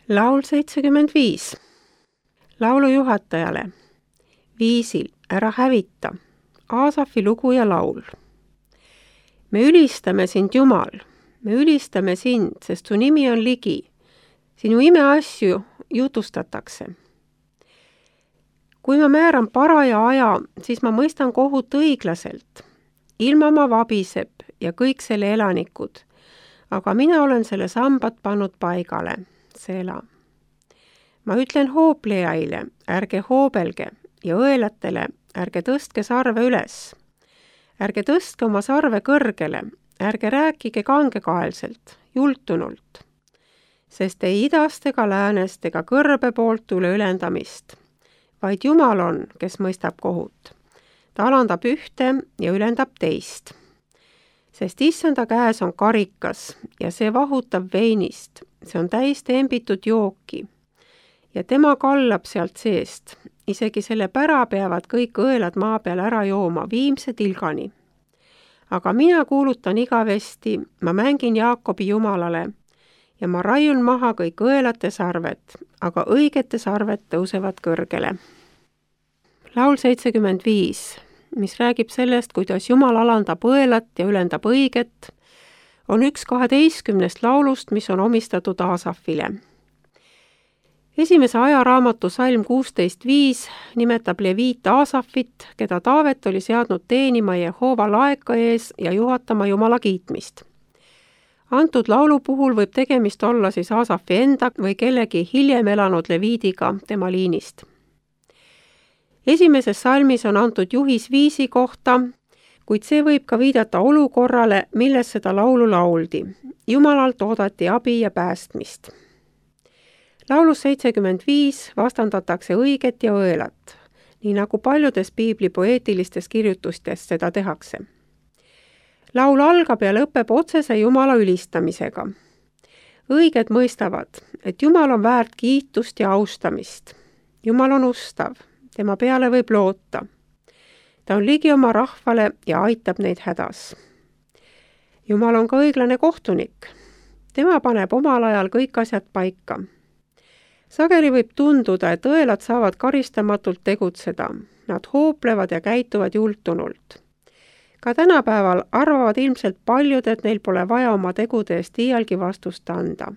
Laul 75. Laulu juhatajale. Viisil Ära hävita. Aasafi lugu ja laul. Me ülistame sind, Jumal. Me ülistame sind, sest su nimi on ligi. Sinu imeasju jutustatakse. Kui ma määran paraja aja, siis ma mõistan kohut õiglaselt. Ilmamaa vabiseb ja kõik selle elanikud. Aga mina olen selle sambad pannud paigale. Sela. Ma ütlen hooplejaile, ärge hoobelge, ja õelatele, ärge tõstke sarve üles. Ärge tõstke oma sarve kõrgele, ärge rääkige kangekaelselt, jultunult. Sest ei idast ega läänest ega kõrbe poolt tule ülendamist, vaid Jumal on, kes mõistab kohut. Ta alandab ühte ja ülendab teist. Sest issanda käes on karikas ja see vahutab veinist, see on täis tembitud jooki. Ja tema kallab sealt seest, isegi selle pära peavad kõik õelad maa peal ära jooma viimse tilgani. Aga mina kuulutan igavesti, ma mängin Jaakobi Jumalale ja ma raiun maha kõik õelate sarved, aga õigete sarved tõusevad kõrgele. Laul 75, mis räägib sellest, kuidas Jumal alandab õelat ja ülendab õiget, on üks 12 laulust, mis on omistatud Aasafile. Esimese ajaraamatu salm 16.5 nimetab leviit Aasafit, keda Taavet oli seadnud teenima Jehova laeka ees ja juhatama Jumala kiitmist. Antud laulu puhul võib tegemist olla siis Aasafi enda või kellegi hiljem elanud leviidiga tema liinist. Esimeses salmis on antud juhis viisi kohta, kuid see võib ka viidata olukorrale, milles seda laulu lauldi. Jumalalt oodati abi ja päästmist. Laulus 75 vastandatakse õiget ja õelat, nii nagu paljudes piibli poeetilistes kirjutustes seda tehakse. Laul algab ja lõpeb otsese Jumala ülistamisega. Õiged mõistavad, et Jumal on väärt kiitust ja austamist. Jumal on ustav, tema peale võib loota. Ta on ligi oma rahvale ja aitab neid hädas. Jumal on ka õiglane kohtunik. Tema paneb omal ajal kõik asjad paika. Sageli võib tunduda, et õelad saavad karistamatult tegutseda. Nad hooplevad ja käituvad jultunult. Ka tänapäeval arvavad ilmselt paljud, et neil pole vaja oma tegude eest iialgi vastust anda.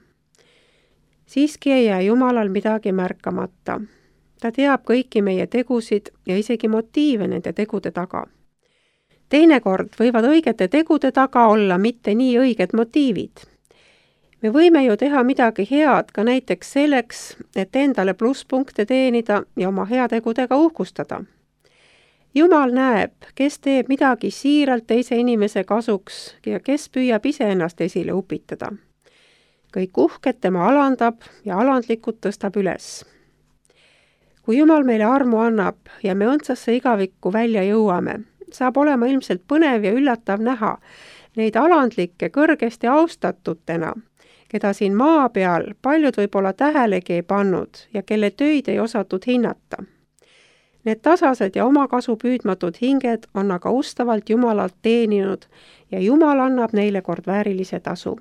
Siiski ei jää Jumalal midagi märkamata. Ta teab kõiki meie tegusid ja isegi motiive nende tegude taga. Teinekord võivad õigete tegude taga olla mitte nii õiged motiivid. Me võime ju teha midagi head ka näiteks selleks, et endale plusspunkte teenida ja oma heategudega uhkustada. Jumal näeb, kes teeb midagi siiralt teise inimese kasuks ja kes püüab iseennast esile upitada. Kõik uhked tema alandab ja alandlikud tõstab üles. Kui Jumal meile armu annab ja me õndsasse igavikku välja jõuame, saab olema ilmselt põnev ja üllatav näha neid alandlikke kõrgesti austatutena, keda siin maa peal paljud võib-olla tähelegi ei pannud ja kelle töid ei osatud hinnata. Need tasased ja omakasu püüdmatud hinged on aga ustavalt Jumalalt teeninud ja Jumal annab neile kord väärilise tasu.